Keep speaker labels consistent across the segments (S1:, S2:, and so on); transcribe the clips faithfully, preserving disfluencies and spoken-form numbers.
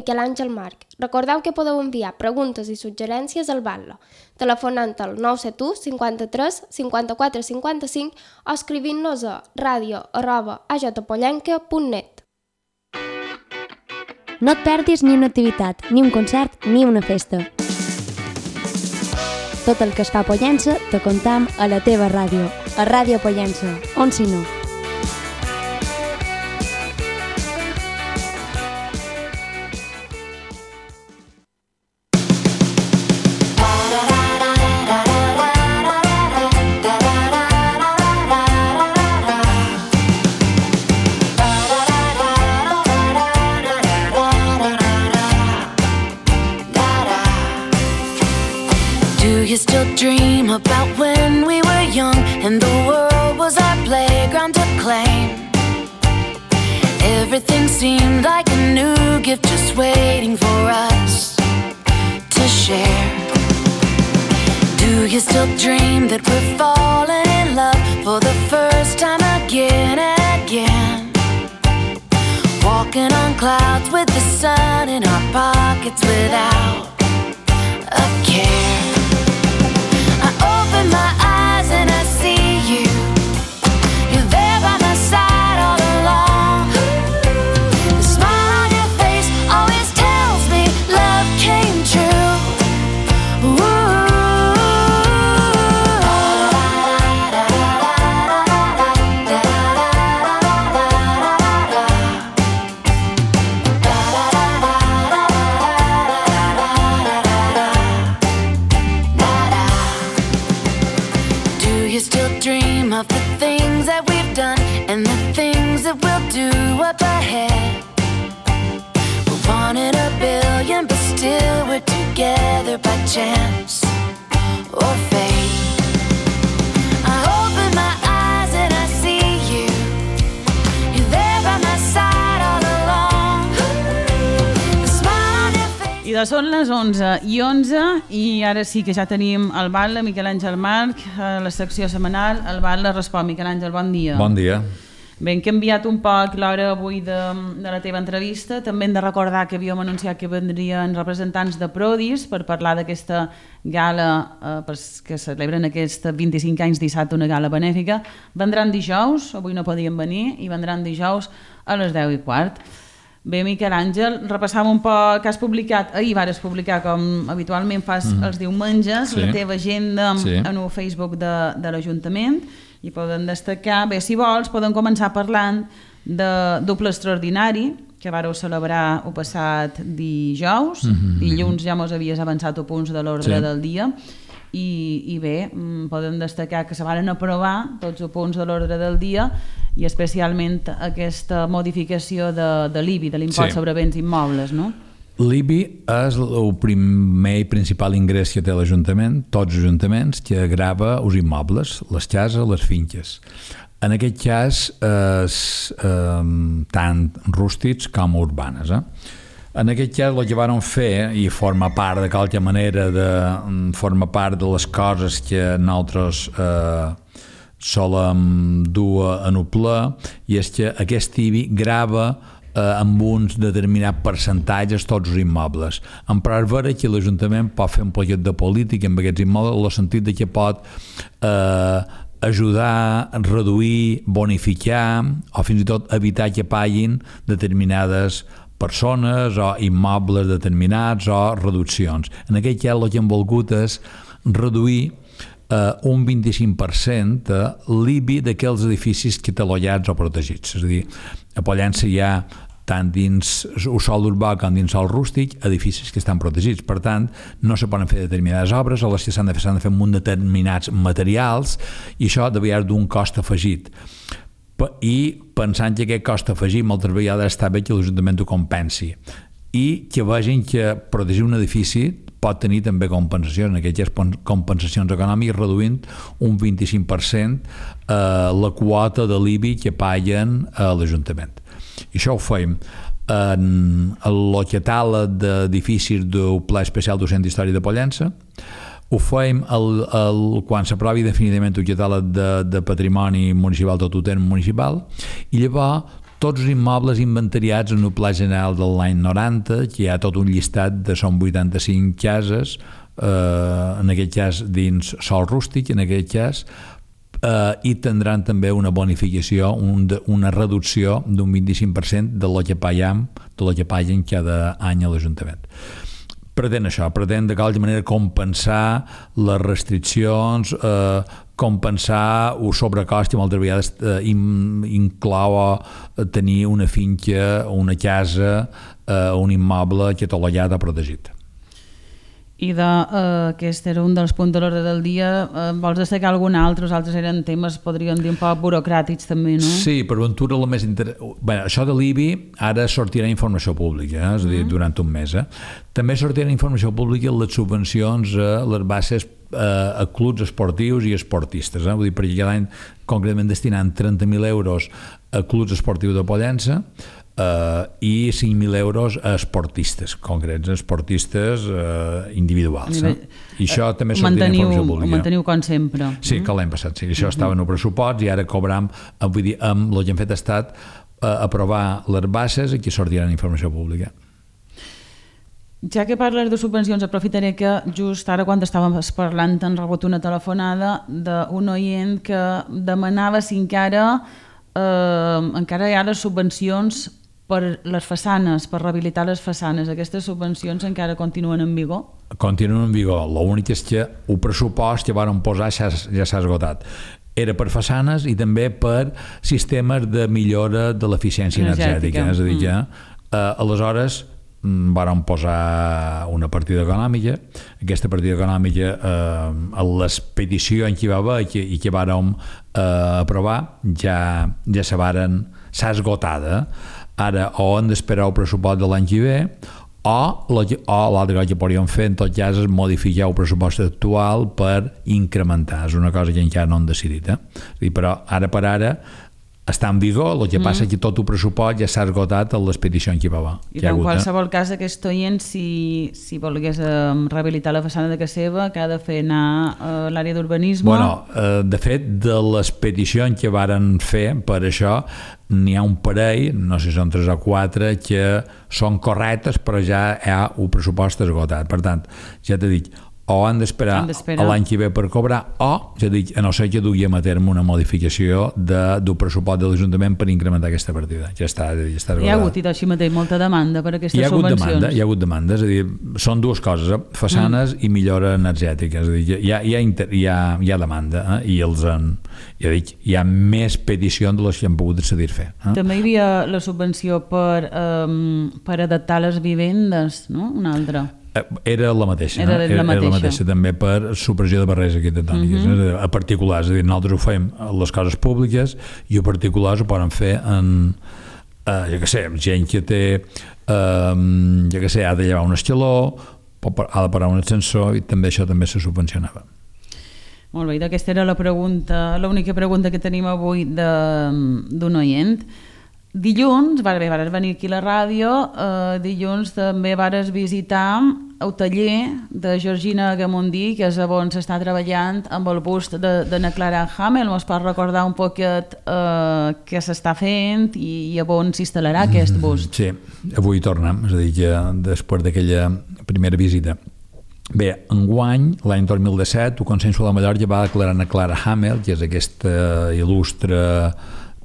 S1: Miquel Àngel Marc. Recordeu que podeu enviar preguntes i suggerències al Batlle, telefonant al nou set u cinquanta-tres cinquanta-quatre cinquanta-cinc o escrivint-nos a radio arroba a j pollenca punt net.
S2: No et perdis ni una activitat, ni un concert, ni una festa. Tot el que es fa a Pollença te contam a la teva ràdio, a Ràdio Pollença, on si no.
S3: You still dream about when we were young and the world was our playground to claim. Everything seemed like a new gift just waiting for us to share. Do you still dream that we're falling in love for the first time again and again? Walking on clouds with the sun in our pockets without a care. Open my eyes and I see you. You're there by my side all along. The smile on your face always tells me love came true. Ooh. Dream of the things that we've done and the things that we'll do up ahead. We're one in a billion, but still we're together by chance or fate. I open my eyes and I see you. You're there by my side all along. The smile on your face.
S4: I doncs són les onze i onze i ara sí que ja tenim el Batlle, Miquel Àngel Marc, a la secció setmanal. El Batlle respon. Miquel Àngel, bon dia.
S5: Bon dia.
S4: Bé, hem canviat un poc l'hora avui de, de la teva entrevista. També hem de recordar que havíem anunciat que vendrien representants de Prodis per parlar d'aquesta gala eh, que celebren aquests vint-i-cinc anys dissabte, una gala benèfica. Vendran dijous, avui no podien venir, i vendran dijous a les deu i quart. Bé, Miquel Àngel, repassàvem un poc que has publicat, ahir vares publicar, com habitualment fas mm. els diumenges, sí. La teva agenda sí. En el Facebook de, de l'Ajuntament, i poden destacar, bé, si vols, poden començar parlant de doble extraordinari, que vareu celebrar el passat dijous, mm-hmm. dilluns ja mos havies avançat a punts de l'ordre sí. Del dia, i, i bé, podem destacar que se van aprovar tots els punts de l'ordre del dia i especialment aquesta modificació de, de l'I B I, de l'impost sí. Sobre béns immobles, no?
S5: L'I B I és el primer i principal ingrés que té l'Ajuntament, tots els ajuntaments, que grava els immobles, les cases, les finques. En aquest cas, és eh, tant rústics com urbanes, eh? En aquest cas, el que van fer, i forma part de qualque manera, de, forma part de les coses que nosaltres eh, solem dur en el ple, i és que aquest I B I grava eh, amb uns determinats percentatges tots els immobles. En part vera que l'Ajuntament pot fer un poquet de política amb aquests immobles, en el sentit de que pot eh, ajudar, reduir, bonificar o fins i tot evitar que paguin determinades persones o immobles determinats o reduccions. En aquest cas el que hem volgut és reduir eh, un vint-i-cinc per cent de l'I B I d'aquells edificis catalogats o protegits. És a dir, a Pollença hi ha tant dins el sòl urbà com dins el rústic, edificis que estan protegits. Per tant, no se poden fer determinades obres, o les que s'han de fer s'han de fer amb un determinats materials, i això de vegades d'un cost afegit. I pensant que aquest cost afegit moltes vegades està bé que l'Ajuntament ho compensi i que vegin que protegir un edifici pot tenir també compensacions, en aquestes compensacions econòmiques, reduint un vint-i-cinc per cent eh, la quota de l'I B I que paguen a l'Ajuntament. I això ho fem en el catàleg d'edificis del Pla Especial del Centre Històric de Pollença. Ho fem el, el, quan s'aprovi definitivament el catàleg de, de patrimoni municipal, tot ho tenen municipal, i llavors tots els immobles inventariats en el Pla General de l'any noranta, que hi ha tot un llistat de són vuitanta-cinc cases, eh, en aquest cas dins sòl rústic, en aquest cas, eh, i tindran també una bonificació, un, una reducció d'un vint-i-cinc per cent de lo que pagam, de lo que paguen cada any a l'Ajuntament. Pretén això, pretén de qualsevol manera compensar les restriccions, eh, compensar el sobrecost que moltes vegades eh, inclou tenir una finca, una casa, eh, un immoble que tot l'allat ha protegit.
S4: I de, eh, aquest era un dels punts de l'ordre del dia. Eh, vols destacar algun altre? Els altres eren temes, podríem dir, un poc burocràtics també, no?
S5: Sí, per ventura el més interessant... Bé, això de l'I B I ara sortirà informació pública, eh? És a dir, durant un mes. Eh? També sortirà informació pública les subvencions a les bases eh, a clubs esportius i esportistes. Eh? Vull dir, perquè cada any concretament destinant trenta mil euros a clubs esportius de Pollença, Uh, i cinc mil euros a esportistes concrets, esportistes uh, individuals. Eh? I això uh, també sortirà informació pública.
S4: Ho manteniu com sempre.
S5: Sí, que l'any passat, sí. Això uh-huh. estava en el pressupost i ara cobram, vull dir, amb el que hem fet ha estat uh, aprovar les bases i que sortiran informació pública.
S4: Ja que parles de subvencions, aprofitaré que just ara quan estàvem parlant han rebut una telefonada d'un oient que demanava si encara eh, encara hi ha les subvencions per les façanes, per rehabilitar les façanes. Aquestes subvencions encara continuen en vigor?
S5: Continuen en vigor. L'únic és que el pressupost que van posar ja, ja s'ha esgotat. Era per façanes i també per sistemes de millora de l'eficiència energètica. energètica. És a dir, que eh, aleshores vàrem posar una partida econòmica. Aquesta partida econòmica, eh, a l'expedició en què va haver i que, i que vàrem eh, aprovar, ja, ja se varen, s'ha esgotada. Ara o hem d'esperar el pressupost de l'any que ve o l'altre cosa que podríem fer en tot cas és modificar el pressupost actual per incrementar. És una cosa que encara no hem decidit. Eh? Dir, però ara per ara està en vigor, el que mm. passa és que tot el pressupost ja s'ha esgotat a l'expedició en què va haver.
S4: I en qualsevol eh? cas aquest oient, si, si volgués eh, rehabilitar la façana de casa seva, que ha de fer anar a l'àrea d'urbanisme?
S5: Bueno, eh, de fet, de l'expedició en què varen fer per això, n'hi ha un parell, no sé si són tres o quatre, que són correctes, però ja hi ha el pressupost esgotat. Per tant, ja t'he dit, o han d'esperar a l'any que ve per cobrar, o, ja dic, a no ser que duguem a terme una modificació de, del pressupost de l'Ajuntament per incrementar aquesta partida. Ja està, ja està esgotada.
S4: Hi ha hagut, i així mateix, molta demanda per aquestes
S5: hi ha
S4: subvencions.
S5: Demanda, hi ha hagut demanda, és a dir, són dues coses, eh? façanes mm. i millora energètica, és a dir, hi ha, hi ha, inter, hi ha, hi ha demanda, eh? I els en, ja dic, hi ha més peticions de les que han pogut decidir fer. Eh?
S4: També hi havia la subvenció per, um, per adaptar les vivendes, no? Una altra.
S5: Era la mateixa,
S4: era,
S5: era,
S4: la mateixa.
S5: era la mateixa també per supressió de barreres arquitectòniques, uh-huh. a particulars, és a dir, nosaltres ho fem a les coses públiques i a particulars ho poden fer en, eh, jo què sé, gent que té, eh, jo què sé, ha de llevar un escaló, ha de parar un ascensor i també això també se subvencionava.
S4: Molt bé, aquesta era la pregunta, l'única pregunta que tenim avui d'un oient. Dilluns, bé, vares venir aquí a la ràdio, eh, dilluns també vares visitar el taller de Georgina Gamundí, que és on s'està treballant amb el bust de, de na Clara Hamel. Ens pots recordar un poquet eh, què s'està fent i, i on s'instal·larà aquest bust?
S5: Sí, avui tornem, és a dir, que després d'aquella primera visita. Bé, enguany, l'any dos mil disset, el Consell de Mallorca va declarar na Clara Hamel, que és aquesta il·lustre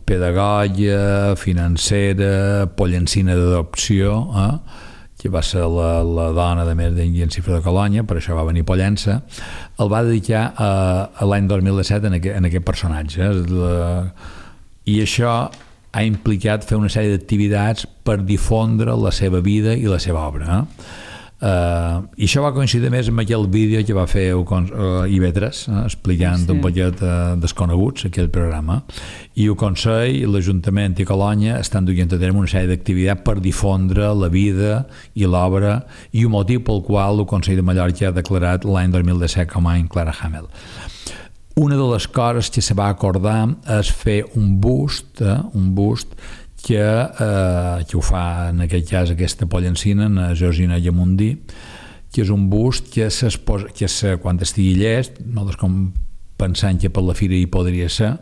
S5: pedagoga, financera, pollencina d'adopció, eh? que va ser la, la dona de més d'Ingui en Cifra de Colònia, per això va venir Pollença, el va dedicar a, a l'any dos mil disset en aquest, en aquest personatge. La, I això ha implicat fer una sèrie d'activitats per difondre la seva vida i la seva obra. Eh? Uh, i això va coincidir més amb aquell vídeo que va fer uh, I V tres, uh, explicant sí. un poquet uh, desconeguts aquell programa, i el Consell, l'Ajuntament i Colònia estan duent a terme una sèrie d'activitats per difondre la vida i l'obra i el motiu pel qual el Consell de Mallorca ha declarat l'any dos mil disset com a any Clara Hamel. Una de les coses que se va acordar és fer un bust, eh, un bust que, eh, que ho fa en aquest cas aquesta pollencina, en Georgina Gamundí, que és un bust que, que se, quan estigui llest, nosaltres com pensant que per la fira hi podria ser,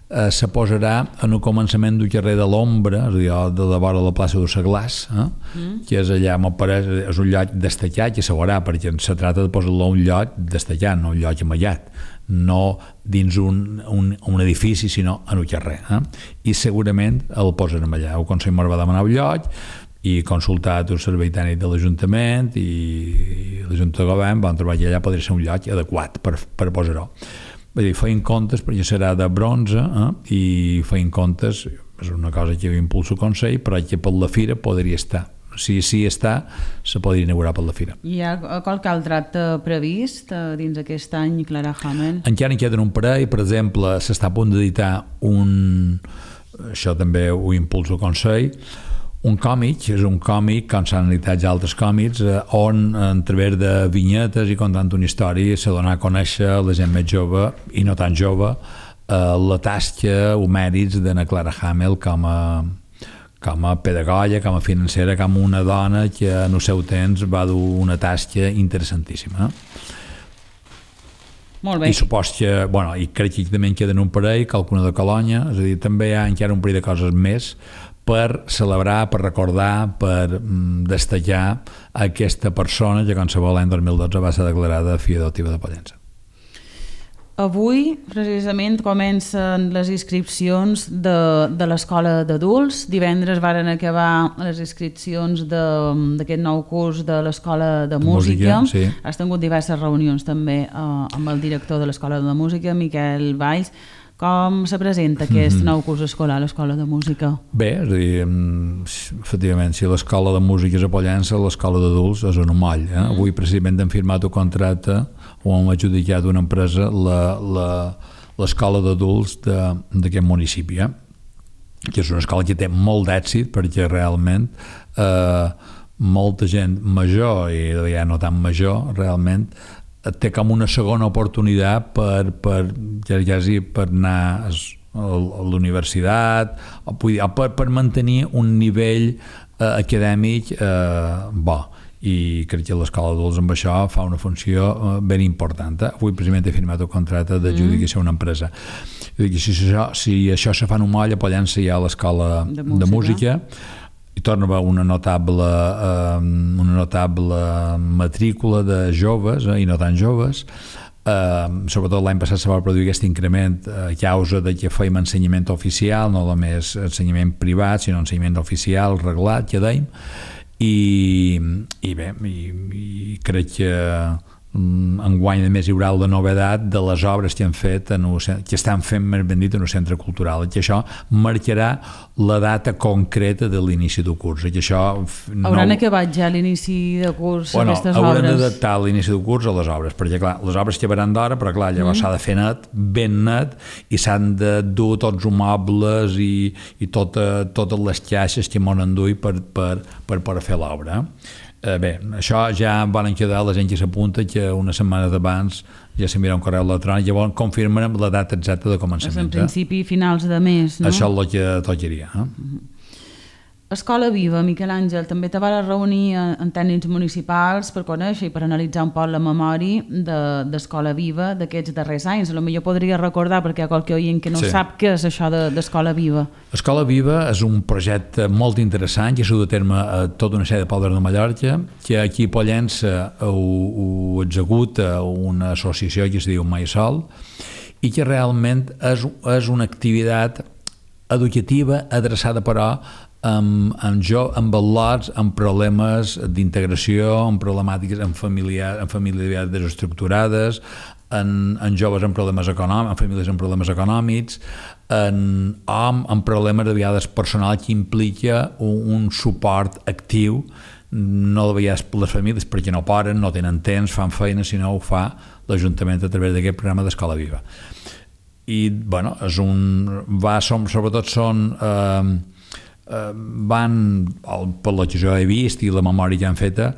S5: eh, se posarà en el començament del carrer de l'Ombra, és a dir, de la vora de la plaça de Seglars, eh? mm. que és allà, m'ho pareix, és un lloc destacat i se veurà, perquè se trata de posar-lo un lloc destacat, no un lloc amallat, no dins un, un, un edifici, sinó en el carrer. Eh? I segurament el posarem allà. El Consell Mor va demanar un lloc i consultat el servei tècnic de l'Ajuntament i, i l'Ajuntament de Govern van trobar que allà podria ser un lloc adequat per, per posar-ho. Vull dir, feien comptes, perquè serà de bronze, eh? I feien comptes, és una cosa que impulsa el Consell, però que per la fira podria estar. Si sí està, se podria inaugurar per la fira.
S4: Hi ha qualque altre acte previst dins aquest any, Clara Hamel?
S5: Encara en queden un parell, per exemple, s'està a punt d'editar un, això també ho impulsa el Consell, un còmic, és un còmic, com s'han editat ja altres còmics, on a través de vinyetes i contant una història s'ha donat a conèixer la gent més jove i no tan jove la tasca o mèrits d'Anna Clara Hamel com a com a pedagoga, com a financera, com una dona que en el seu temps va dur una tasca interessantíssima.
S4: Molt bé.
S5: I supos que, bueno, i crec que també en queden un parell, qualcuna de Colònia, és a dir, també hi ha encara un parell de coses més per celebrar, per recordar, per mm, destacar aquesta persona que, com sabeu, l'any dos mil dotze va ser declarada filla adoptiva de Pollença.
S4: Avui, precisament, comencen les inscripcions de, de l'escola d'adults. Divendres varen acabar les inscripcions d'aquest nou curs de l'escola de, de música. música sí. Has tingut diverses reunions també eh, amb el director de l'escola de música, Miquel Valls. Com se presenta aquest mm-hmm. nou curs escolar a l'escola de música? Bé,
S5: és a dir, efectivament, si l'escola de música és a Pollença, l'escola d'adults és un moll. Eh? Mm. Avui precisament hem firmat un contracte o hem adjudicat una empresa l'escola d'adults d'aquest municipi, eh? que és una escola que té molt d'èxit perquè realment eh, molta gent major i ja no tan major realment té com una segona oportunitat per, per, quasi per anar a l'universitat o per, per mantenir un nivell eh, acadèmic eh, bo, i crec que l'escola d'adults amb això fa una funció eh, ben important. Eh? Avui precisament he firmat el contracte d'adjudicació a una empresa. Si això, si això se fa en un moll, a Pollença hi ha l'escola de música, de música i torna a haver una notable, eh, una notable matrícula de joves eh, i no tan joves. Eh, sobretot l'any passat se va produir aquest increment a causa de que fèiem ensenyament oficial, no només ensenyament privat, sinó ensenyament oficial, reglat, que dèiem, i, i bé, i, i crec que enguany a més hi haurà la novedat de les obres que han fet en el, que estan fent més ben dit en el centre cultural, que això marcarà la data concreta de l'inici del curs, que això no...
S4: Hauran acabat ja l'inici de curs
S5: bueno,
S4: aquestes obres?
S5: Hauran d'adaptar l'inici del curs a les obres, perquè clar, les obres llevaran d'hora, però clar, llavors mm. s'ha de fer net, ben net, i s'han de dur tots els mobles i, i tota, totes les caixes que m'han enduit per, per, per, per fer l'obra. Eh, bé, això ja van quedar la gent que s'apunta que una setmana d'abans ja s'enviarà un correu electrònic, llavors confirmarem la data exacta de començament.
S4: És en principi finals de mes, no?
S5: Això és el que tocaria. Eh?
S4: Mm-hmm. Escola Viva, Miquel Àngel, també te vas reunir en tècnics municipals per conèixer i per analitzar un poc la memòria d'Escola Viva d'aquests darrers anys. A lo millor podria recordar, perquè hi ha qualque oient que no sí. sap què és això d'Escola Viva.
S5: Escola Viva és un projecte molt interessant que s'ha dut a terme a tota una sèrie de pobles de Mallorca, que aquí a Pollença ho, ho executa una associació que es diu Mai Sol i que realment és, és una activitat educativa adreçada però amb, amb, jo, amb valors, amb problemes d'integració, amb problemàtiques amb, familiar, amb famílies desestructurades, en, en joves amb problemes econòmics, en famílies amb problemes econòmics, en hom amb problemes de vegades personals que implica un, un suport actiu, no de vegades per les famílies perquè no poden, no tenen temps, fan feina, sinó ho fa l'Ajuntament a través d'aquest programa d'Escola Viva. I, bueno, és un... Va, som, sobretot són... Eh, van, per lo que jo he vist i la memòria que han feta,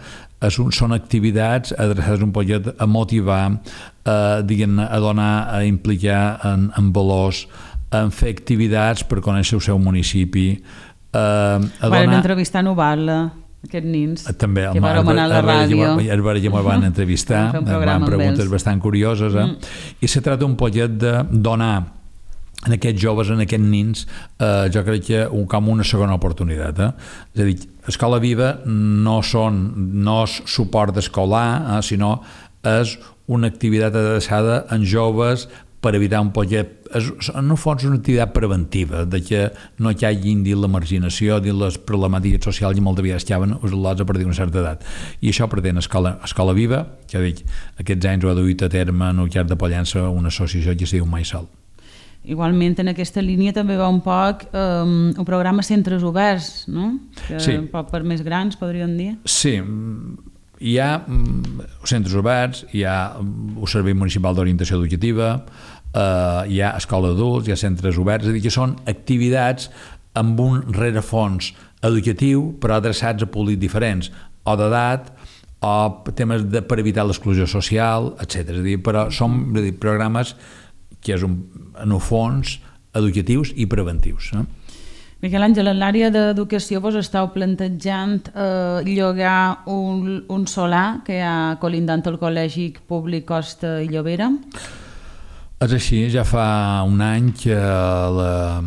S5: són activitats adreçades un poquet a motivar, a, diguem, a donar, a implicar en, en valors, a fer activitats per conèixer el seu municipi. A, a
S4: Varen
S5: donar...
S4: entrevistar a Noval, aquests nins,
S5: també,
S4: que vàrem anar a la ràdio.
S5: El veure que me'l van entrevistar, van preguntes bastant curioses, eh? mm. i se tracta un poquet de donar en aquests joves, en aquests nins, eh, jo crec que un, com una segona oportunitat. Eh? És a dir, Escola Viva no, són, no és suport escolar, eh, sinó és una activitat adreçada en joves per evitar un poc... És, en el fons, una activitat preventiva, de que no hi hagin dins la marginació, dins les problemàtiques socials i molt de vegades estaven isolats a partir d'una certa edat. I això pretén Escola, Escola Viva, que dic, aquests anys ho ha duit a terme en el Llarg de Pollença una associació que es diu Mai Sol.
S4: Igualment, en aquesta línia també va un poc um, un programa Centres Oberts, no? Que
S5: sí.
S4: Un poc per més grans, podríem dir.
S5: Sí, hi ha centres oberts, hi ha el Servei Municipal d'Orientació Educativa, eh, hi ha escola d'adults, hi ha centres oberts, és a dir, que són activitats amb un rerefons educatiu però adreçats a públics diferents, o d'edat, o temes de, per evitar l'exclusió social, etcètera. És a dir, però són és a dir, programes que és un, en el fons educatius i preventius. Eh?
S4: Miquel Àngel, en l'àrea d'educació vos estàu plantejant eh, llogar un, un solar que hi ha colindant el Col·legi Públic Costa i Llobera?
S5: És així, ja fa un any que la,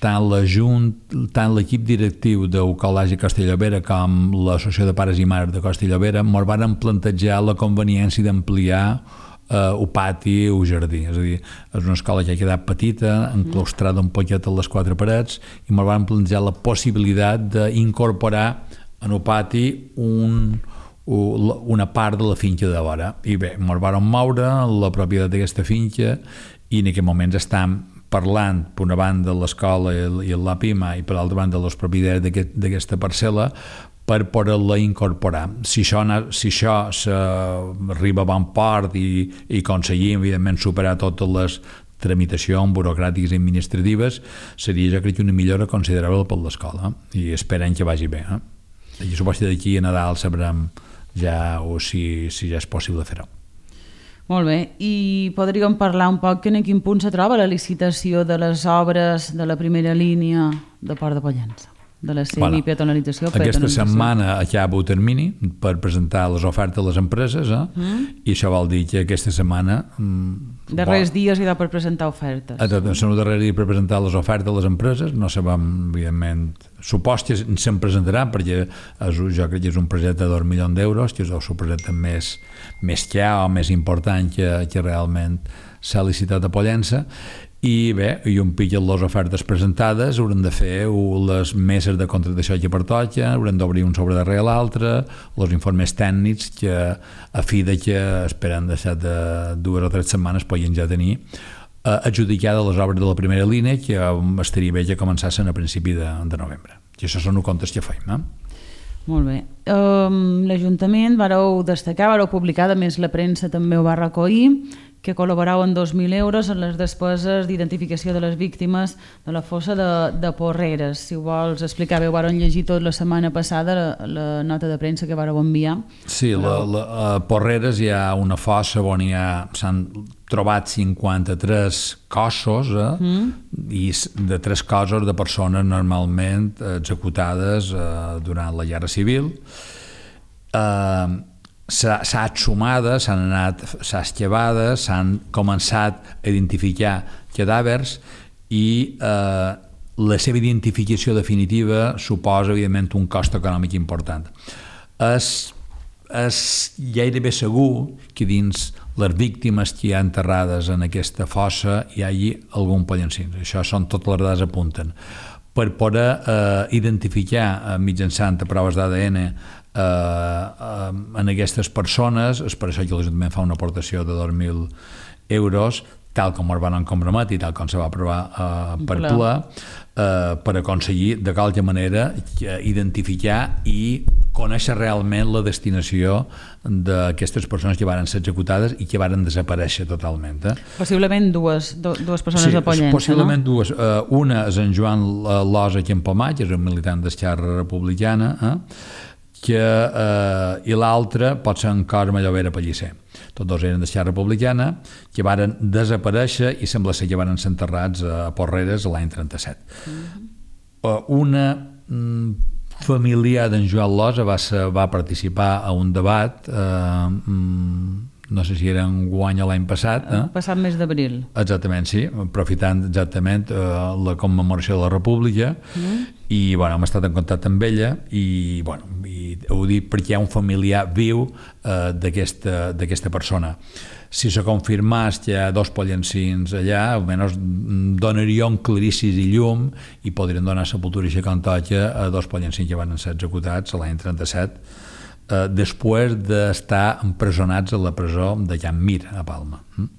S5: tant la Junt, tant l'equip directiu del Col·legi Costa i Llobera com l'Associació de Pares i Mares de Costa i Llobera ens van plantejar la conveniència d'ampliar Uh, el pati o el jardí, és a dir, és una escola que ha quedat petita, enclaustrada un poquet a les quatre parets, i ens van plantejar la possibilitat d'incorporar en el pati un, una part de la finca de vora. I bé, ens van moure la propietat d'aquesta finca i en aquest moment estem parlant, per una banda, l'escola i l'A P I M A i per l'altra banda, els propietaris d'aquesta parcel·la, per poder-la incorporar. Si això, si això arriba a bon port i, i aconseguim, evidentment, superar totes les tramitacions burocràtiques i administratives, seria, jo crec, una millora considerable per l'escola, eh? I esperem que vagi bé. Eh? I suposo que d'aquí a Nadal sabrem ja o si, si ja és possible fer-ho.
S4: Molt bé, i podríem parlar un poc en quin punt se troba la licitació de les obres de la primera línia de Port de Pollença, de la semipeatonalització.
S5: Bueno, aquesta setmana acaba el termini per presentar les ofertes a les empreses, eh? mm. i això vol dir que aquesta setmana... Mm,
S4: darrers dies hi ha per presentar ofertes.
S5: Són els darrers dies per presentar les ofertes a les empreses, no sabem, evidentment, supos que se'n presentaran, perquè és, jo crec que és un projecte de dos milions d'euros, que és el projecte més, més clar o més important que, que realment s'ha licitat a Pollença. I bé, i un pic les ofertes presentades haurem de fer les meses de contractació que pertoca, haurem d'obrir un sobre darrere l'altre, els informes tècnics que a fi de que esperen deixar de dues o tres setmanes podien ja tenir eh, adjudicades les obres de la primera línia, que estaria bé que començassin a principi de, de novembre. I això són els comptes que feim. Eh?
S4: Molt bé. Um, L'Ajuntament vareu destacar, vareu publicar, a més la premsa també ho va recollir, que col·laborau en dos mil euros en les despeses d'identificació de les víctimes de la fossa de, de Porreres. Si ho vols explicar bé, ho varen llegir tot la setmana passada, la, la nota de premsa que vareu enviar.
S5: Sí, la, la, a Porreres hi ha una fossa on hi ha, s'han trobat cinquanta-tres cossos, eh? mm. i de tres cossos de persones normalment executades eh, durant la Guerra Civil. Eh, s'ha exhumada, s'han anat, s'ha esquivada, s'han començat a identificar cadàvers i eh, la seva identificació definitiva suposa, evidentment, un cost econòmic important. És, és gairebé segur que dins les víctimes que hi ha enterrades en aquesta fossa hi hagi algun pollencins. Això són totes les dades apunten. Per poder eh, identificar eh, mitjançant proves d'A D N Uh, uh, en aquestes persones, és per això que l'Ajuntament fa una aportació de dos mil euros, tal com es van comprometre i tal com se va aprovar uh, per ple, uh, per aconseguir de qualque manera identificar i conèixer realment la destinació d'aquestes persones que van ser executades i que van desaparèixer totalment. Eh?
S4: Possiblement dues, do, dues persones
S5: sí,
S4: a Pollença,
S5: possiblement
S4: no?
S5: dues. Uh, una és en Joan Losa Campomat, que és un militant d'Esquerra Republicana, eh? que, eh, i l'altre pot ser en Cosme Llobera Pellicer. Tots dos eren d'Esquerra Republicana, que varen desaparèixer i sembla ser que varen ser enterrats a Porreres l'any trenta-set. Mm-hmm. Una mm, familiar d'en Joan Losa va, ser, va participar a un debat eh, no sé si era en guany o l'any passat. Eh?
S4: Passat mes d'abril.
S5: Exactament, sí, aprofitant exactament eh, la commemoració de la República, mm. i bueno, hem estat en contacte amb ella i, bueno, i ho dic perquè hi ha un familiar viu eh, d'aquesta d'aquesta persona. Si se confirmés que hi ha dos pollencins allà, almenys donaria un claricis i llum i podrien donar sepultura i com toca a dos pollencins que van ser executats l'any trenta-set, eh, després d'estar empresonats a la presó de Can Mir, a Palma. Mm?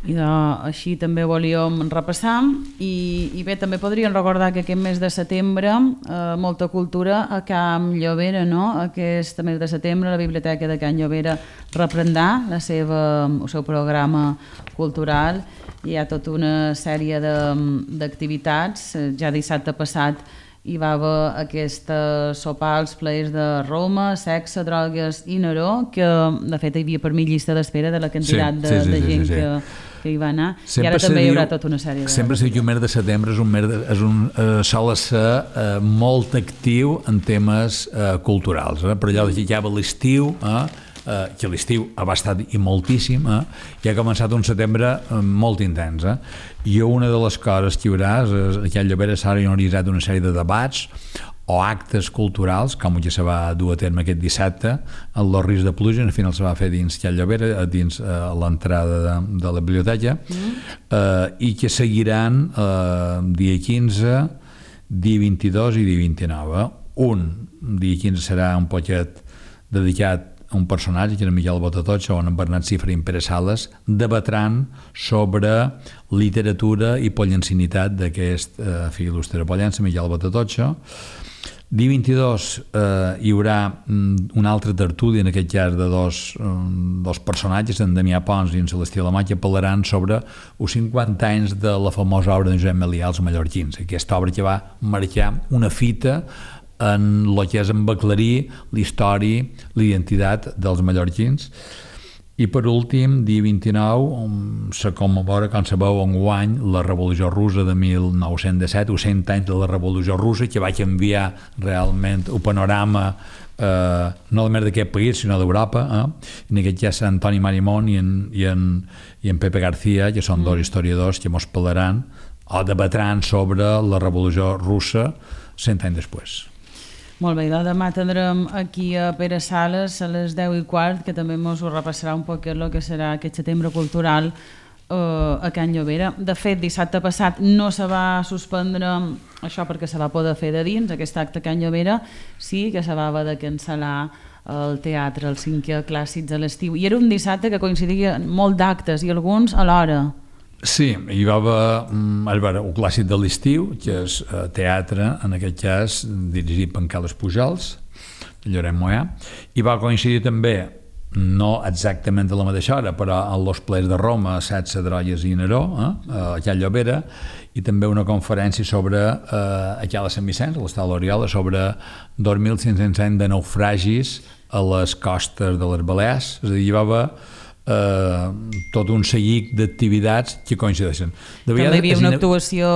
S4: I de, així també volíem repassar i, i bé, també podríem recordar que aquest mes de setembre eh, molta cultura a Can Llobera, no? Aquest mes de setembre la Biblioteca de Can Llobera reprendrà la seva, el seu programa cultural. Hi ha tota una sèrie d'activitats. Ja dissabte passat hi va haver aquesta sopar als plaers de Roma, sexe, drogues i Neró, que de fet hi havia per mi llista d'espera de la quantitat sí, de, sí, sí, de gent sí, sí, sí. que que hi va anar, sempre i ara també hi haurà tota una sèrie de...
S5: Sempre se diu que el mes de setembre és un mes de, és un, eh, sol ser eh, molt actiu en temes eh, culturals, eh? Per allò que ja va l'estiu, eh? Eh, que l'estiu ha estat i moltíssim, eh? I ha començat un setembre eh, molt intens. Eh? I una de les coses que hi haurà és, que a Llobera s'ha organitzat una sèrie de debats o actes culturals, com ja se va dur a terme aquest dissabte, en los Rius de Pluja, al final se va fer dins Can Llobera, dins eh, l'entrada de, de la biblioteca, mm. eh, i que seguiran eh, dia quinze, dia vint-i-dos i dia vint-i-nou. Eh? Un, dia quinze serà un poquet dedicat a un personatge, que era Miquel Botatotxa, on en Bernat Cifra i en Pere Sales debatran sobre literatura i pollencinitat d'aquest eh, fill il·lustre pollença, Miquel Botatotxa. Dia vint-i-dos eh, hi haurà una altra tertúlia, en aquest cas de dos, um, dos personatges, en Damià Pons i en Celestí Alemany, que parlaran sobre els cinquanta anys de la famosa obra de Josep Melià, Els mallorquins, aquesta obra que va marcar una fita en el que és en aclarir la història, la identitat dels mallorquins. I per últim, dia vint-i-nou, se commemora, com sabeu, enguany la Revolució Russa de mil nou-cents disset, o cent anys de la Revolució Russa, que va canviar realment el panorama eh, no només d'aquest país, sinó d'Europa. Eh? En aquest cas, Antoni Marimón i en, i en, i en Pepe García, que són mm. dos historiadors que mos parlaran o debatran sobre la Revolució Russa cent anys després.
S4: Molt bé, demà tindrem aquí a Pere Sales a les deu i quart, que també ens ho repassarà un poc el que serà aquest setembre cultural eh, a Can Llobera. De fet, dissabte passat no se va suspendre això perquè se va poder fer de dins, aquest acte a Can Llobera, sí que se va haver de cancel·lar el teatre, el cinquè Clàssics a l'estiu. I era un dissabte que coincidia molt d'actes i alguns alhora.
S5: Sí, hi va haver el clàssic de l'estiu, que és teatre, en aquest cas dirigit per en Carles Pujols, Lloret Moyà, i va coincidir també, no exactament a la mateixa hora, però en los plers de Roma, Sexe, drogues i Neró, eh, a Can Llobera, i també una conferència sobre, eh, aquí a Sant Vicenç, a l'Estat l'Oriola, sobre dos mil cinc-cents anys de naufragis a les costes de les Balears. És a dir, hi va haver Uh, tot un seguit d'activitats que coincideixen. De
S4: també hi havia una actuació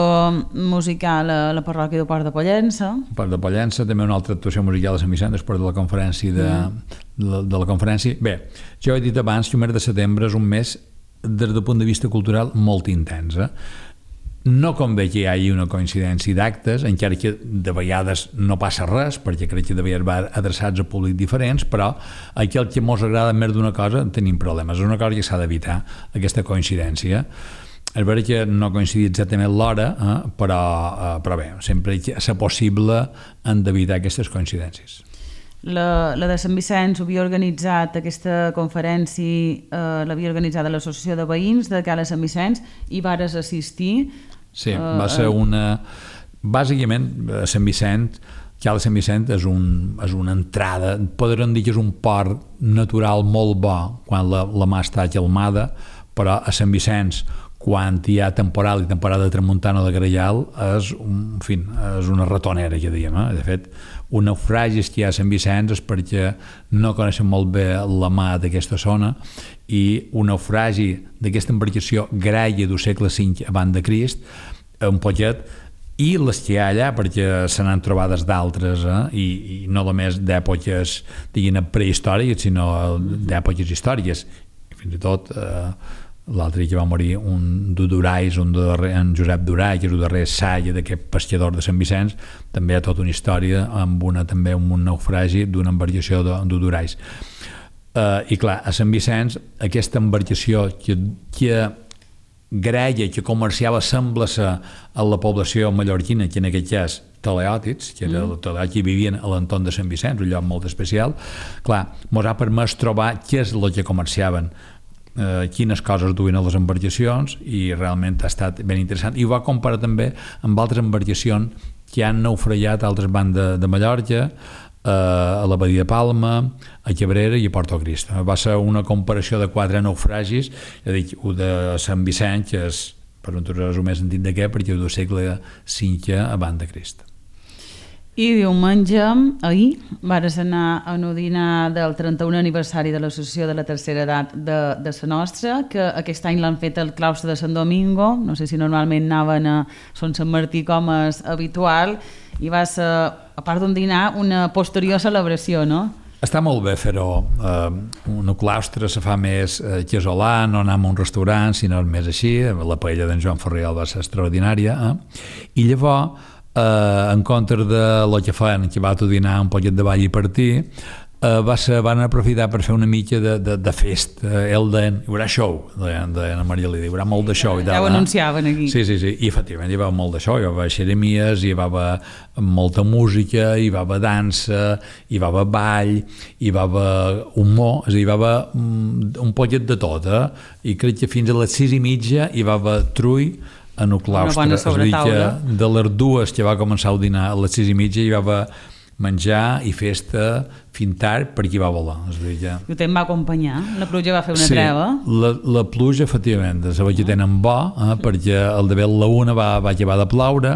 S4: musical a la parròquia de Port de Pollença.
S5: Port de Pollença, també una altra actuació musical a Sant Vicent després de la conferència de, mm. de, de la conferència. Bé, jo he dit abans que el mes de setembre és un mes des del punt de vista cultural molt intens. Eh? No convé que hi hagi una coincidència d'actes, encara que de vegades no passa res, perquè crec que de vegades va adreçats a públics diferents, però aquell que ens agrada més d'una cosa tenim problemes. És una cosa que s'ha d'evitar, aquesta coincidència. És veritat que no coincidir exactament l'hora, eh, però, eh, però bé, sempre que és possible hem d'evitar aquestes coincidències.
S4: La, la de Sant Vicenç ho havia organitzat, aquesta conferència eh, l'havia organitzada l'Associació de Veïns de Cala Sant Vicenç i vares assistir.
S5: Sí, va ser una... Bàsicament, a Sant Vicent, Cala Sant Vicent és, un, és una entrada, podríem dir que és un port natural molt bo quan la, la mà està calmada, però a Sant Vicenç, quan hi ha temporal i temporada de tramuntana o de Grellal, és, un, en fi, és una ratonera, que diem. Eh? De fet, un naufragi que hi ha a Sant Vicenç és perquè no coneixen molt bé la mà d'aquesta zona i un naufragi d'aquesta embarcació graia del segle cinc abans de Crist, un poquet i les que hi ha allà, perquè se n'han trobades d'altres, eh? I, i no només d'èpoques, diguin, prehistòriques, sinó d'èpoques històriques. Fins i tot, eh, l'altre dia que va morir un d'Udurais, un darrer, en Josep Durai, que és el darrer saia d'aquest pescador de Sant Vicenç, també hi ha tota una història amb una, també amb un naufragi d'una embarcació d'Udurais. Eh, I clar, a Sant Vicenç, aquesta embarcació que, que greia, que comerciava, sembla ser a la població mallorquina, que en aquest cas teleòtids, que era mm. teleòtids que vivien a l'entorn de Sant Vicenç, un lloc molt especial. Clar, mos ha permès trobar què és el que comerciaven, eh, quines coses duien a les embarcacions, i realment ha estat ben interessant. I ho va comparar també amb altres embarcacions que han naufragat a altres bandes de Mallorca, a la Badia de Palma, a Cabrera i a Porto Cristo. Va ser una comparació de quatre naufragis, és a dir, un de Sant Vicenç, que és, per un tros més antic de què, perquè és del segle cinquè abans de Crist.
S4: I diumenge, ahir, vares anar a un dinar del trenta-unè aniversari de l'Associació de la Tercera Edat de, de la nostra, que aquest any l'han fet al claustre de Sant Domingo, no sé si normalment anaven a Son Sant Martí com és habitual, i va ser, a part d'un dinar, una posterior celebració, no?
S5: Està molt bé fer-ho. Eh, un claustre se fa més eh, casolà, no anar a un restaurant, sinó més així. La paella d'en Joan Ferriol va ser extraordinària. Eh? I llavors, eh, en compte de lo que feien, que va a dinar un poquet de ball i partir, eh, va ser, van aprofitar per fer una mica de, de, de fest. Eh, el deien, hi haurà show, deien, deien a Maria Lídia, hi haurà molt de show.
S4: Ja, ja ho anunciaven aquí.
S5: Sí, sí, sí, i efectivament hi va haver molt de show, hi va haver xeremies, hi va haver molta música, hi va haver dansa, hi va haver ball, hi va haver humor, és a dir, hi va haver un, un poquet de tot, eh? I crec que fins a les sis i mitja hi va haver trull en el claustre, és a dir, que de les dues que va començar el dinar a les sis i mitja hi va haver menjar i festa fins tard per qui va volar. És a dir, ja...
S4: I te'n va acompanyar? La pluja va fer una
S5: sí,
S4: treva?
S5: La, la pluja, efectivament, se va que tenen bo, eh, perquè el de la una va, va acabar de ploure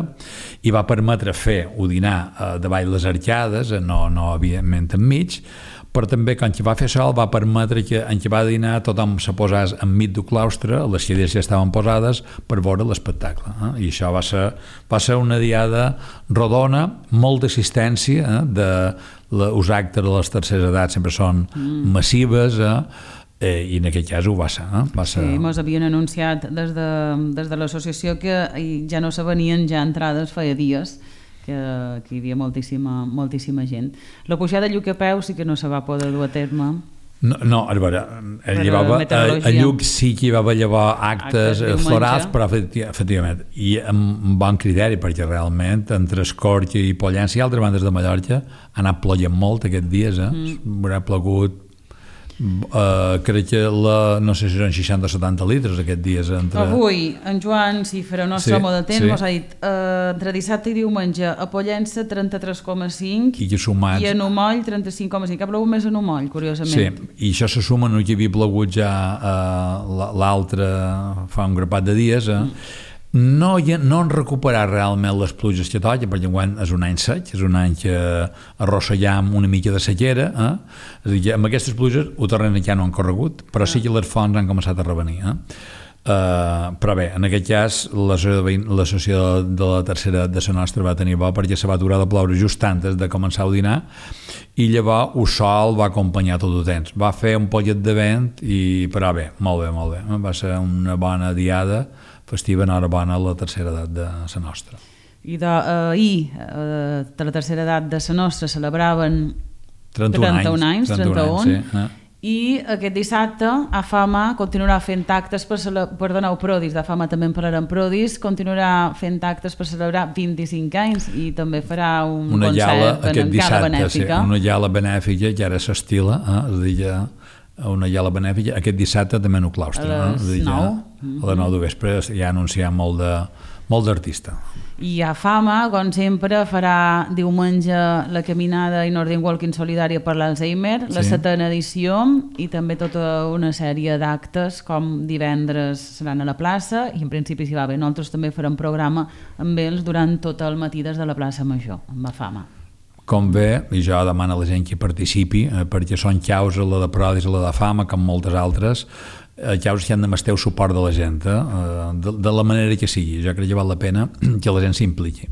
S5: i va permetre fer un dinar eh, davall les arcades, eh, no, no evidentment enmig, però també quan va fer sol va permetre que en què va dinar tothom se posés enmig del claustre, les cadires ja estaven posades per veure l'espectacle, eh? I això va ser, va ser una diada rodona, molta assistència, eh? De, la, els actes de les terceres edats sempre són mm. massives, eh? Eh, i en aquest cas ho va ser, eh? Va ser...
S4: Sí, mos havien anunciat des de, des de l'associació que ja no se venien ja entrades feia dies, que, que hi havia moltíssima, moltíssima gent. La pujada a Lluc a peu sí que no se va poder dur a terme.
S5: No, no, a veure, llevava, a, a Lluc sí que hi va haver actes, actes florals, però efectivament, i amb bon criteri, perquè realment entre Escorca i Pollença i altres bandes de Mallorca ha anat ploient molt aquests dies, eh? Mm. Haurà plogut Uh, crec que la, no sé si són seixanta o setanta litres aquests dies entre...
S4: Avui en Joan, si farà el nostre sí, home de temps, sí. Mos ha dit uh, entre dissabte i diumenge a Pollença trenta-tres coma cinc
S5: i, sumats...
S4: i a Numoll trenta-cinc coma cinc. Ha plogut més a Numoll, curiosament.
S5: Sí, i això se suma no que havia plogut ja uh, l'altre fa un grapat de dies, eh? Mm. No, no han recuperat realment les pluges que toquen, perquè enguany és un any sec, és un any que arrossegam una mica de sequera, eh? És a dir, amb aquestes pluges el terreny ja no han corregut, però sí que les fonts han començat a revenir. Eh? Uh, però bé, en aquest cas l'associació de la tercera de la nostra va tenir bo perquè se va aturar de ploure just antes de començar el dinar i llavors el sol va acompanyar tot el temps. Va fer un poquet de vent, i, però bé, molt bé, molt bé. Va ser una bona diada festiva, enhorabona a la tercera edat de la nostra.
S4: I d'ahir, eh, de la tercera edat de la nostra, celebraven
S5: trenta-un anys,
S4: trenta-un, sí, eh? I aquest dissabte a Fama continuarà fent actes per, per donar Prodis, de Fama també en parlarem Prodis, continuarà fent actes per celebrar vint-i-cinc anys i també farà un
S5: una
S4: concert
S5: llala,
S4: en gala benèfica.
S5: Sí, una llala benèfica que ara s'estila, eh? És a dir, ja una llala benèfica, aquest dissabte també en el claustre,
S4: a les
S5: eh?
S4: nou.
S5: A les nou de vespre ja ha anunciat molt de molt d'artista.
S4: I a Fama, com sempre, farà diumenge la caminada i Northern Walking solidària per l'Alzheimer, sí. La setena edició, i també tota una sèrie d'actes, com divendres seran a la plaça, i en principi si va bé, nosaltres també farem programa amb ells durant tot el matí des de la plaça Major, amb la Fama.
S5: Com bé, i jo demano a la gent que participi, eh, perquè són causes, la de Prodis, la de Fama, com moltes altres, llavors que han de masteu suport de la gent, eh? de, de la manera que sigui. Jo crec que val la pena que la gent s'impliqui.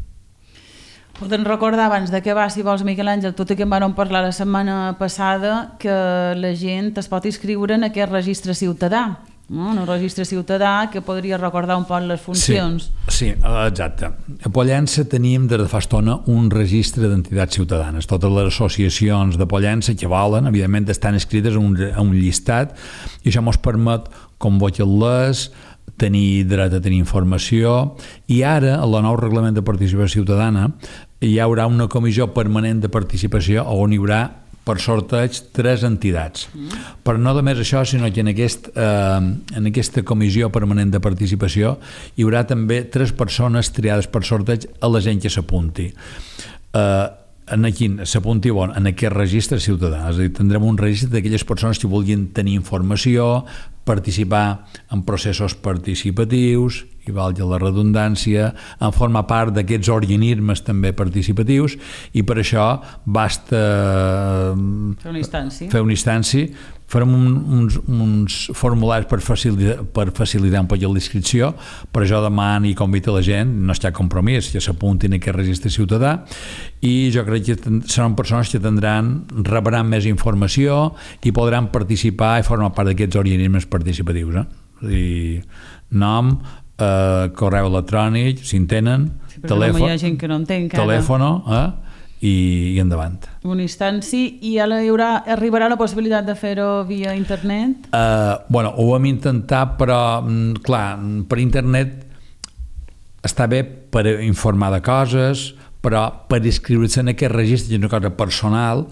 S4: Podem recordar abans de què va, si vols, Miquel Àngel, tot i que en vam parlar la setmana passada, que la gent es pot inscriure en aquest registre ciutadà, no? En un registre ciutadà que podria recordar un poc les funcions.
S5: Sí, sí, exacte. A Pollença tenim des de fa estona un registre d'entitats ciutadanes. Totes les associacions de Pollença que volen, evidentment, estan inscrites a un, a un llistat, i això ens permet convocar-les, tenir dret a tenir informació, i ara, a la nou reglament de participació ciutadana, hi haurà una comissió permanent de participació on hi haurà per sorteig tres entitats. Mm. Però no només això, sinó que en, aquest, eh, en aquesta comissió permanent de participació hi haurà també tres persones triades per sorteig a la gent que s'apunti. Eh, en quin s'apunti bon, en aquest registre ciutadà, és a dir, tindrem un registre d'aquelles persones que vulguin tenir informació, participar en processos participatius, i valgui la redundància, en formar part d'aquests organismes també participatius, i per això basta
S4: fer una instància,
S5: fer una instància farem un, uns, uns formularis per facilitar, per facilitar un poc l'inscripció, per això demano i convido la gent, no hi ha compromís, que s'apuntin a aquest registre ciutadà, i jo crec que seran persones que tindran, rebran més informació i podran participar i formar part d'aquests organismes participatius. Eh? I nom, eh, correu electrònic, si en tenen,
S4: sí, telèfon, hi ha gent que no entén
S5: telèfon, eh? I, i endavant.
S4: Un instanci, i ara hi haurà, arribarà la possibilitat de fer-ho via internet?
S5: Uh, bueno, ho vam intentar, però clar, per internet està bé per informar de coses, però per inscriure-se en aquest registre, que és una cosa personal,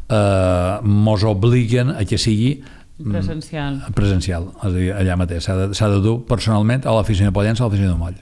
S5: eh, mos obliguen a que sigui
S4: presencial.
S5: presencial, és a dir, allà mateix. S'ha de, s'ha de dur personalment a l'oficina de Pollença, a l'oficina de Moll.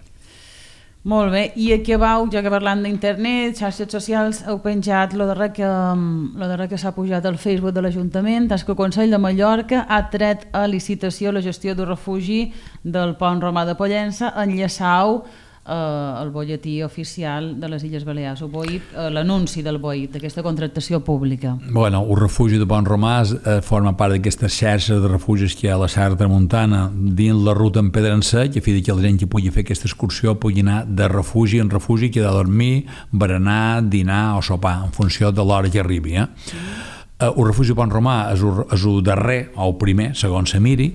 S4: Molt bé, i aquí vau, ja que parlant d'internet, xarxes socials, heu penjat lo darrer que, lo darrer que s'ha pujat al Facebook de l'Ajuntament, és que el Consell de Mallorca ha tret a licitació la gestió del refugi del Pont Romà de Pollença, enllaçau eh, el bolletí oficial de les Illes Balears, o B O I P, eh, l'anunci del B O I P, d'aquesta contractació pública.
S5: Bueno, el refugi de Pont Romà eh, forma part d'aquestes xarxes de refugis que hi ha a la Serra Tramuntana dins la ruta en pedra en sec, a fi que la gent que pugui fer aquesta excursió pugui anar de refugi en refugi, que ha de dormir, berenar, dinar o sopar, en funció de l'hora que arribi. Eh? Mm. El refugi de Pont Romà és el, és el darrer, o el primer, segons se miri,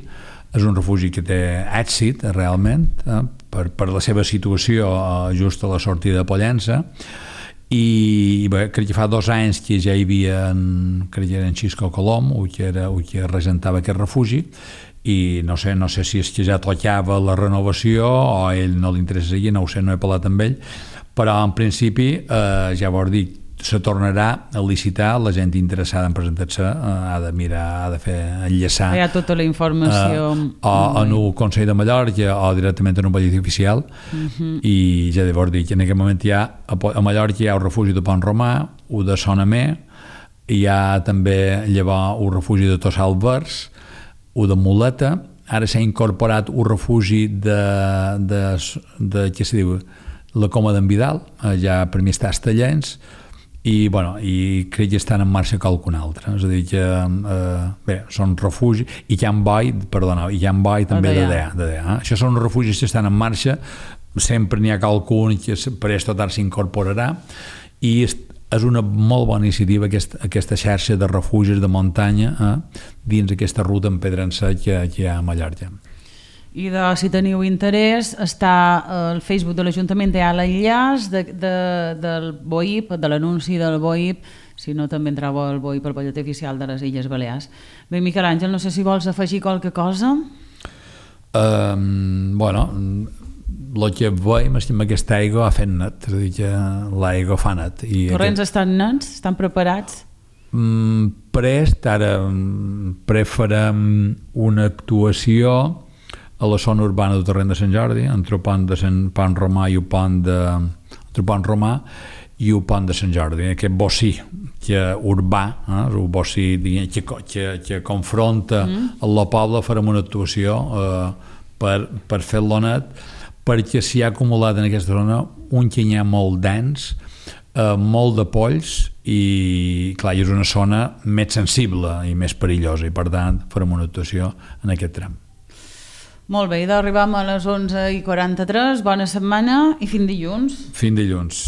S5: és un refugi que té èxit, realment, eh, per, per la seva situació eh, just a la sortida de Pollença, i bé, crec que fa dos anys que ja hi havia, en, crec que era en Xisco Colom, o que, era, o que regentava aquest refugi, i no sé, no sé si és que ja tocava la renovació o a ell no li interessa seguir, no ho sé, no he parlat amb ell, però en principi eh, ja vau dir, se tornarà a licitar, la gent interessada en presentar-se eh, ha de mirar, ha de fer enllaçar.
S4: Hi ha tota la informació.
S5: Eh, o en el Consell de Mallorca o directament en un bolletí oficial, uh-huh. I ja llavors dir que en aquest moment hi ha, a Mallorca hi ha el refugi de Pont Romà, el de Sonamer, hi ha també llavors el refugi de Tossal Vers, el de Muleta, ara s'ha incorporat el refugi de, de, de què se diu, la Coma d'en Vidal, ja per mi està a Estellens, i, bueno, i crec que estan en marxa qualcun altre, és a dir que eh, bé, són refugis, i Can Boi, perdona, i Can Boi també de D E A, de D E A, eh? Això són refugis que estan en marxa, sempre n'hi ha qualcun que per aquesta tard s'incorporarà, i és una molt bona iniciativa aquesta, aquesta xarxa de refugis de muntanya eh, dins aquesta ruta en pedra en sec que, que hi ha a Mallorca.
S4: I de, si teniu interès, està al Facebook de l'Ajuntament, hi ha l'enllaç de, de, del B O I P, de l'anunci del B O I P, si no també entreu al B O I P, el bolletí oficial de les Illes Balears. Bé, Miquel Àngel, no sé si vols afegir qualque cosa?
S5: Um, bueno, el que veiem és que amb aquesta aigua ha fet net, és a dir, que l'aigua fa net. I
S4: corrents
S5: aquest...
S4: estan nets? Estan preparats?
S5: Mm, prest, ara prefarem una actuació a la zona urbana del Torrent de Sant Jordi, entre el pont de Sant Pont Romà i el pont de entre el pont Romà i el pont de Sant Jordi, aquest bocí que urbà, eh, el bocí que, que, que confronta mm. el poble, farem una actuació eh, per, per fer-lo net, perquè s'hi ha acumulat en aquesta zona un canyar molt dens, eh, molt de polls, i clar, és una zona més sensible i més perillosa, i per tant farem una actuació en aquest tram.
S4: Molt bé, i d'arribam a les onze i quaranta-tres. Bona setmana i fins dilluns.
S5: Fins dilluns.